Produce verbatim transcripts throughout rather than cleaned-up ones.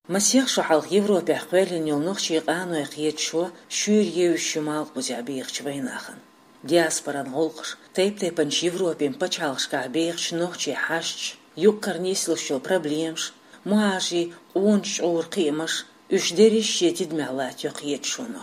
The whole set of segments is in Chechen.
Масех шо хьалха Европехь кхоьллина йолу нохчийн къанойн кхеташо шуьйра евзаш ю малхбузехь бехачу вайнахана. Диаспоран гӀуллакхаш, тайп-тайпанчу Европин пачхьалкхашкахь бехачу нохчийн хьашташ, юккъера нислуш йолу проблемаш, мухӀажарийн къоначу чкъуран кхиамаш, уьш дерриш а шен тидамехь латтайо кхеташоно.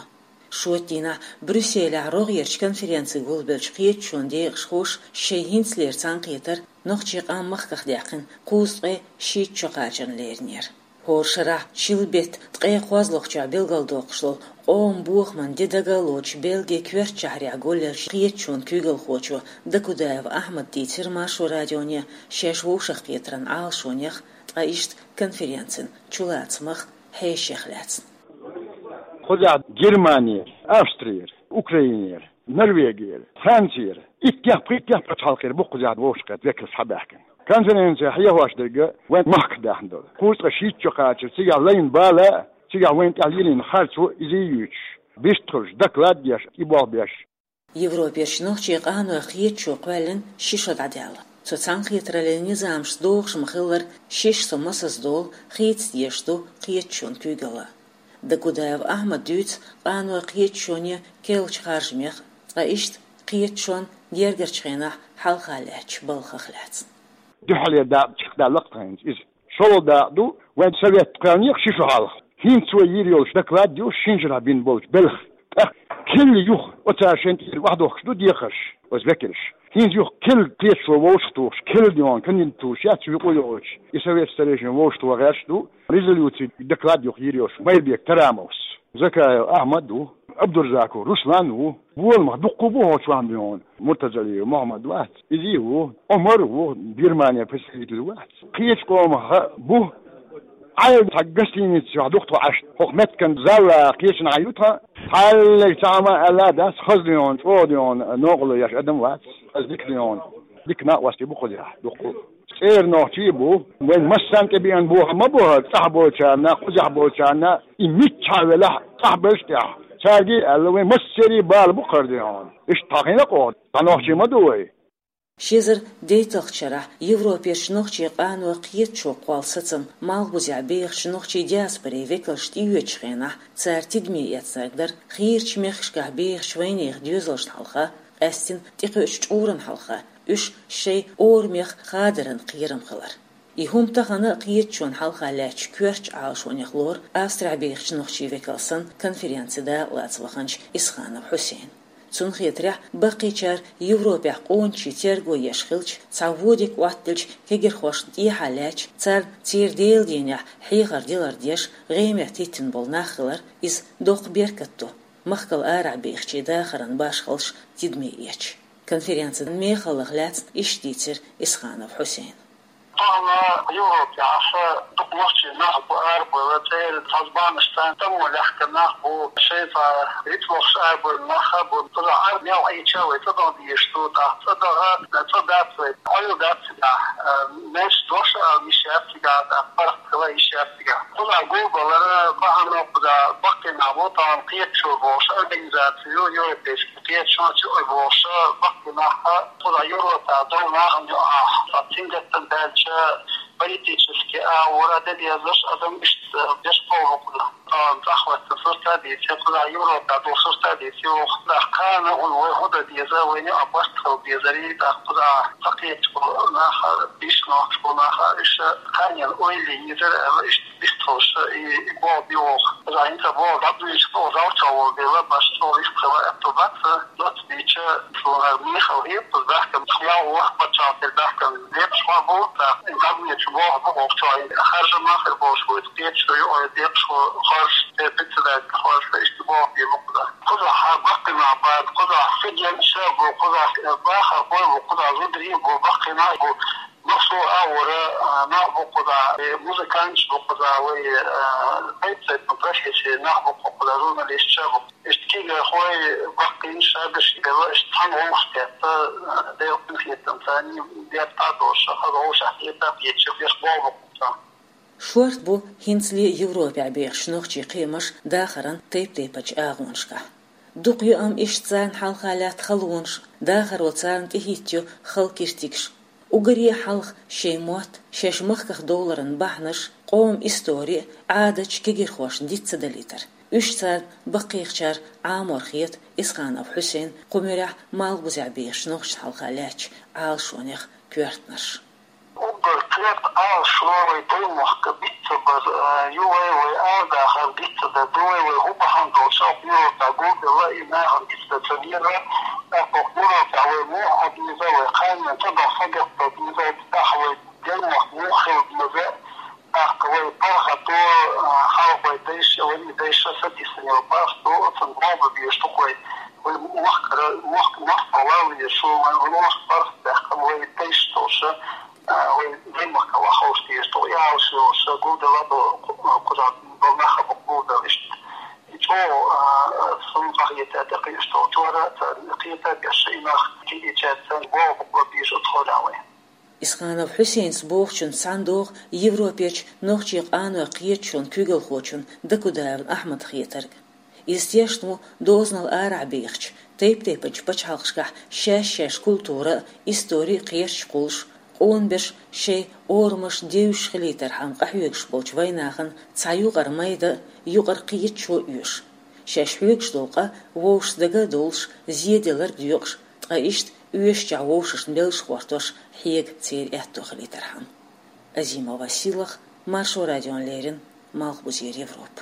Шоьтан дийнахь Брюсселехь рогӀерчу конференци гулбеллачу кхеташонан декъашхоша шайн хӀинцалера цхьаьнакхетар нохчийн къам махках даьккхина кхузткъе шийтта шо кхачарна леринера. ХӀора шарахь шилбетта ткъе кхозлагӀчохь билгалдоккхуш долу къоман бохаман де дагалоцуш Бельгин коьртачу шахьарехь гулъеллачу кхеташонан куьйгалхочо Дакудаев Ахьмада дийцира Маршо радионе шаьш вовшахкхетаран Ӏалашонех, ткъа иштта конференцин чулацамах, хьешех лаьцна. Кхузахь Германера, Австрера, Украинера, Норвегера, Францера, иттех-пхийттех пачхьалкхера бу кхузахь вовшахкхетта векалш схьабаьхкина. Конференци хьехош дерг вайн махках даьхна долу. Кхузткъе шийтта шо кхачар, цигахь лайна бала а, цигахь вайна тӀехь лелийна харцо а иза юьйцуш, вистхуьлуш, доклад а деш, и болх беш. Европерчу нохчийн къанойн кхеташо кхоьллина ши шо дӀадаьлла. Цу цхьаьнакхетараллин низамашца догӀуш ма-хиллара, шишша со масаза долу хийца дезаш ду кхеташонан куьйгалла. Дакудаев Ахьмада дуьйцу къанойн кхеташоне керлачу харжамех, ткъа иштта кхеташонан гергарчу хенахь хьалха лаьттачу балхах лаьцна. Дуьххьарлера дакъа чекхдаьлла-кх тхан хӀинца иза. ШолгӀа дакъа ду, вайн совет кхоьллинехь ши шо хьалха. ХӀинца вай йийр йолуш доклад ю шина шарахь бина болчу белхан. ТӀаккха кхин юха оцара шайн тӀера охьадохкуш ду декхарш, оцу векалш. ХӀинца юха кхин кхеташо вовшахтухуш, кхин дӀа кандидатураш яц юкъа йолчу. И совет старейшин вовшахтоха гӀерташ ду, резолюци, доклад юха йийр йолуш Майрбек Тарамовс. Закаев Ахьмад ву, Абдурзаков Руслан ву, боламах дуккха а бу хӀокху чохь дуьйна, Муртазалиев Мухьаммад вац, иза а ву, Ӏумар а ву, Германера представитель вац. Кхечу къомах а бу, Ӏайла цхьа гостиница чохь ду-кх тхо Ӏаш, хӀокху меттиган зала кхечанхьа ю тхан, хьаллаг цхьа хӀума аьлла а дац, хаза дуьйна, чӀогӀа дуьйна, новкъарло еш адам вац, хаза дика дуьйна. Дика накъостий бу кхузахь дуккха а. ЦӀера нохчий а бу, вайн массарна тӀебеана бохам ма бу хӀара, цӀахь болчарна, кхузахь болчарна, и миччахьа велахь а, цӀахь беллачу тӀехь. Цаьрга а аьлла, вайн массеран а бала бу кхара дуьйна. Иштта хьахийна-кх оха, цхьа нохчий ма ду вай. Ши эзар дейтталгӀачу шарахь Европерчу нохчийн къанойн кхеташо кхолла сацам малхбузехь бехачу нохчийн диаспорин векалш тӀеоьцучу хенахь, цара тидаме эцнарг дара хийрачу мехкашкахь бехачу вайнехан доьзалшна хьалха, къаьсттина тӀекхуьучу чкъурана хьалха, уьш шайн орамех хадаран кхерам хилар. И хӀума тахана а кхеташонан хьалха лаьттачу коьртачу Ӏалашонех лору Австрехь бехачу нохчийн векал санна конференцин дакъалаца ваханчу Исханов Хьусейна. Цунна хетарехь, баккхийчара Европехь къоначийн терго еш хилча, цхьа вон дика Ӏоттаделча кегийрхошна тӀехьа лаьтташ, царна церан Делан дийнахь хьехар дилар деш, гӀеметтахӀиттина болу нах хилар, иза доккха беркат ду, махкал арахь бехачийн дахаран башхаллаш тидаме эцча. Конференцин мехаллах лаьцна иштта дийцира Исханов Хьусейна. Тахана Европехь дукха нохчий нах бу арабевлла, церан цхьа зӀе бахьанаш санна, тӀамо лаьхкина нах бу, шайн цхьа рицкъ лохуш арабевлла нах а бу. Кхузахь арабевлла Ӏийча вай цӀа даха дезаш ду, тӀаккха цӀа даха, цӀа дац вай, Ӏуьйла дац цигахь, а, меллаша дош а ала йиш яц цигахь, тӀаккха паргӀат хила йиш яц цигахь. Кхузахь гулбалара бахьана кхузахь баккхий нах бу, тахана кхеташо бохуш организаци ю, европейский кхеташо чу а бохуш баккхий нах а, кхузахь Европехь долу нахана юкъахь, цхьа сингаттам баьлча, политически агӀора де дезаш адам иштта деш кховла кхузахь. Тахана цӀахь хӀоьттина сурт а дийци, кхузахь Европехь долу сурт а дийци, кхузахь кхана хӀуна вай хӀун дан деза, вайна юкъахь барт хила дезарий, тӀаккха кхузахь цхьа кхеташ болу нах а, бийш нохчаш болу нах а, уьш кханенан ойла йийзар аьлла, иштта вистхуьлуш, и, и болх бу оха. Иза хӀинца болх дӀабуьйцуш, оха зал чохь волу дела, баш цо вистхила аьтто бац, доцца дийча, суна мехала хета, кхуза баьхкина, ялх ворхӀ пачхьалкхера баьхкина декъашхо бу, тӀаккха дӀабуьйцуш болх бу оха чохь, харжамах хир болуш вуйцу, кхеташо ю, ой, декъашхо хоржуш, те председатель хоржуш, иштта болх бу кхуза. Кхузахь баккхий нах бац, кхузахь студенташ а бу, кхузахь бахархой бу, кхузахь зударий бу, баккхий нах бу. Массо а агӀора, а, нах бу кхузахь, э, музыканташ бу кхузахь, вай, э, тайп-тайпана профессин нах бу кхузахь, журналисташ а бу. Иштта кегийрхой, баккхийнаш а беш белла, иштта цхьаьна гӀуллакхаш кхетта, э, Делан къинхетамца, дерг а долуш, хаза вовшахкхетта а кхеташ, беш болх бу кхузахь. Шорта бу хӀинцале Европехь бехачу нохчийн кхиамаш дахаран тайп-тайпанчу агӀонашкахь. Дукха ю амма иштта царна хьалха лаьтта халонаш, дахаро царна тӀехӀиттайо хала киртигаш. Уггаре а хьалха шайн мотт, шаьш махках довларан бахьанаш, къоман истори а, Ӏадаташ а кегийрхошна диц ца далийтар. Уьш царна баккхийчарна Ӏамор хета Исханов Хьусейна кху муьрехь Малхбузехь бехачу нохчашна хьалха лаьттачу Ӏалашонех коьртанаш. Уггар кхетта Ӏалашо вай даймахка диц ца бар а ю, вай, вай арадахар диц ца дар ду, вай, вай хӀун бахьана долуш а Европехь гулделла и нахана диц ца дар ца дезара, тӀаккха Европехь вай муха Ӏан деза, вай кханенан тӀедогӀу сагатдан деза, тӀаккха вай даймахка муха хила деза, тӀаккха вай паргӀато, а, хьалха вай дайша, вай дайша сатийсина йолу паргӀато, оцунна бохург беш ду-кх вай, вай мохкара, мохк-, мохк-, вай вай мохк-, паргӀат баьккхина, вай дайша долуш а, вай даймахкахь ваха ховш деза ду, и Ӏалашо йолуш а гулделла ду, кху-, кхузахь долу нах а бу гулделла иштта. И чӀогӀа, а, суна къахета тӀекхуьуш долчара, царна кхета беш и нах, кхидӀичаьрца бохург бу беза оцу хьолехь вай. Исханов Хьусейнца бохучунца цхьаьна догӀу Европерчу нохчийн къанойн кхеташонан куьйгалхочун Дакудаев Ахьмадан хетарг. Иза тешна ву дозанал арахь бехачу, тайп-тайпанчу пачхьалкхашкахь шаьш-шаьш культура а, истори а кхерчаш кхуллуш, къона берш шайн орамаш девзаш хилийтархьама къахьоьгуш болчу вайнахана цхьа юкъара майда а, юкъара кхеташо а оьшу. Шаьш хьоьгуш долу къа вовшашца дага а довлуш, зеделларг доькъуш, ткъа иштта оьшучохь вовшашна беллаш а хӀоттош хьега церан аьтто хилийтархьама. Азимова Сийлаха, Маршо радиона леррина, Малхбузера Европа.